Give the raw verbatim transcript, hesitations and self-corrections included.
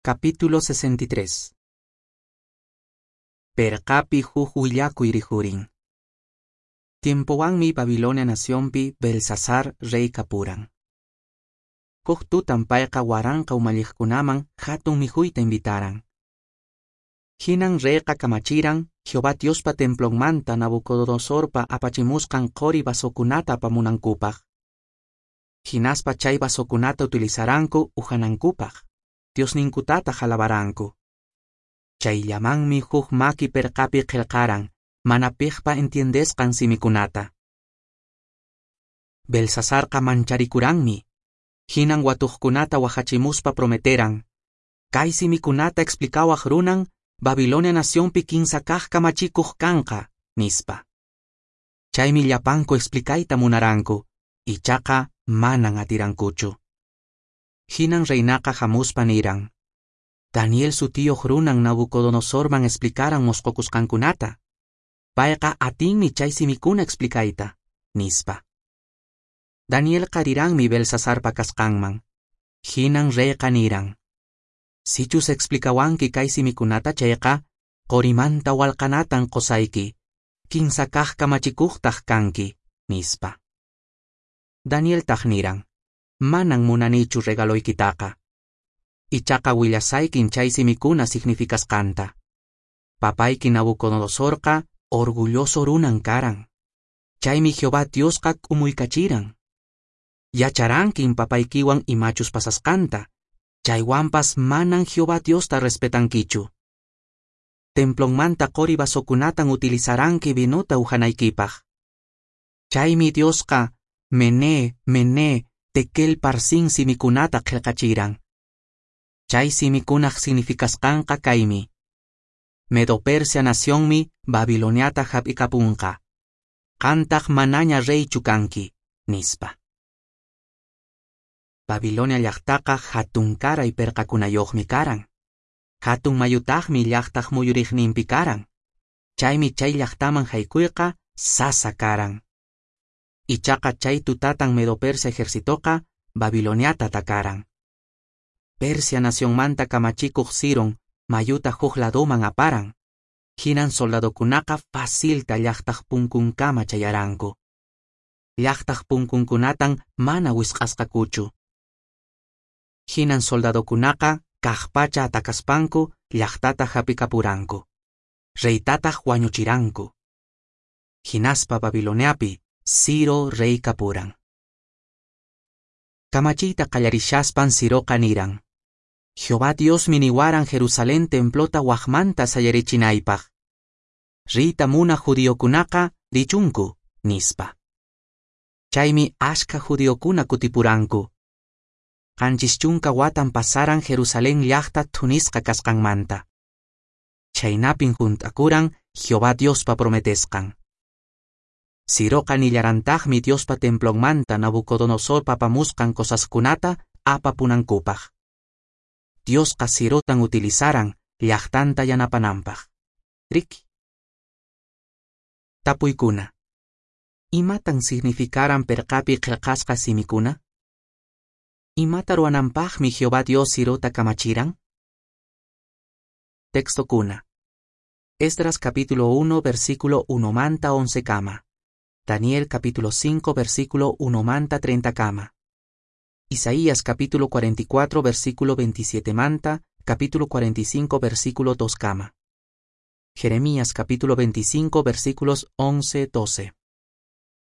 Capítulo sesenta y tres. Perqapi huk willakuy rikhurin. Tiempowanmi Babilonia nacionpi Belsasar rey kapuran. Huk tutan payqa waranqa umalliqkunaman hatun mikhuyta invitaran. Hinan reyqa kamachiran Jehová Diospa templonmanta Nabucodonosorpa apachimusqan qori vasokunata apamunankupaq. Hinaspa chay vasokunata utilizaranku uhanankupaq, Diosninkutataq alabaranku. Chayllamanmi huk maki perqapi qillqaran mana piqpa entiendesqan simikunata. Belsasarqa mancharikuranmi. Hinan watuqkunata wahachimuspa prometeran: "Kay simikunata explicawaq runan Babilonia nacionpi kinsa kaq kamachikuq kanqa", nispa. Chaymi llapanku explicayta munaranku, ichaqa manan atirankuchu. Hinan reinaqa hamuspa niran: "Daniel sutiyuq runan Nabucodonosorman explicaran mosqokusqankunata. Payqa atinmi chay simikuna explicayta", nispa. Danielqa riranmi Belsasarpa kasqanman. Hinan reyqa niran: "Sichus explicawanki kay simikunata chayqa, qorimanta walqanatan qosayki, kinsa kaq kamachikuqtaq kanki", nispa. Danieltaq niran: "Manan munanichu regaloykitaqa. Ichaqa willasaykin chay simikuna significasqanta. Papayki Nabucodonosorqa orgulloso runan karan. Chaymi Jehová Diosqa k'umuykachiran. Yacharankin papaykiwan imachus pasasqanta, chaywanpas manan Jehová Diosta respetankichu. Templonmanta qori vasokunatan utilizaranki vinuta uhanaykipaq. Chaymi Diosqa Mené, Mené, Tekel Parsin simikunata qillqachiran. Chay simikunaq significasqanqa kaymi: Medo-Persia nacionmi Babiloniata hap'ikapunqa. Qantaq manaña reychu kanki", nispa. Babilonia llaqtaqa hatunkaray perqakunayuqmi karan. Hatun mayutaqmi llaqtaq muyuriqninpi karan. Chaymi chay llaqtaman haykuyqa sasa karan. Ichaqa chay tutatan Medo-Persia ejercitoqa Babiloniata atakaran. Persia nacionmanta kamachikuq Ciron mayuta huk ladoman aparan. Hinan soldadokunaqa facilta llaqtaq punkunkama chayaranku. Llaqtaq punkunkunatan mana wisq'asqakuchu. Hinan soldadokunaqa kaqpacha atakaspanku llaqtata hap'ikapuranku. Reytataq wañuchiranku. Hinaspa Babiloniapi Ciro rey kapuran. Kamachiyta qallarishaspan Ciroqa niran: "Jehová Diosmi niwaran Jerusalén templota waqmanta sayarichinaypaq. Riyta munaq judiokunaqa richunku", nispa. Chaymi ashka judiokuna kutipuranku. Qanchis chunka watan pasaran Jerusalén llaqta thunisqa kasqanmanta. Chhaynapin hunt'akuran Jehová Diospa prometesqan. Ciroqa nillarantaqmi Diospa templonmanta Nabucodonosorpa apamusqan cosaskunata apapunankupaq. Diosqa Cirotan utilizaran llaqtanta yanapananpaq. Riki. Tapuykuna. Imatan significaran perqapi qillqasqa simikuna? Imata ruwananpaqmi Jehová Dios Cirota kamachiran? Textokuna. Esdras capítulo uno versículo uno manta once kama. Daniel capítulo cinco versículo uno manta treinta kama. Isaías capítulo cuarenta y cuatro versículo veintisiete manta, capítulo cuarenta y cinco versículo dos kama. Jeremías capítulo veinticinco versículos once doce.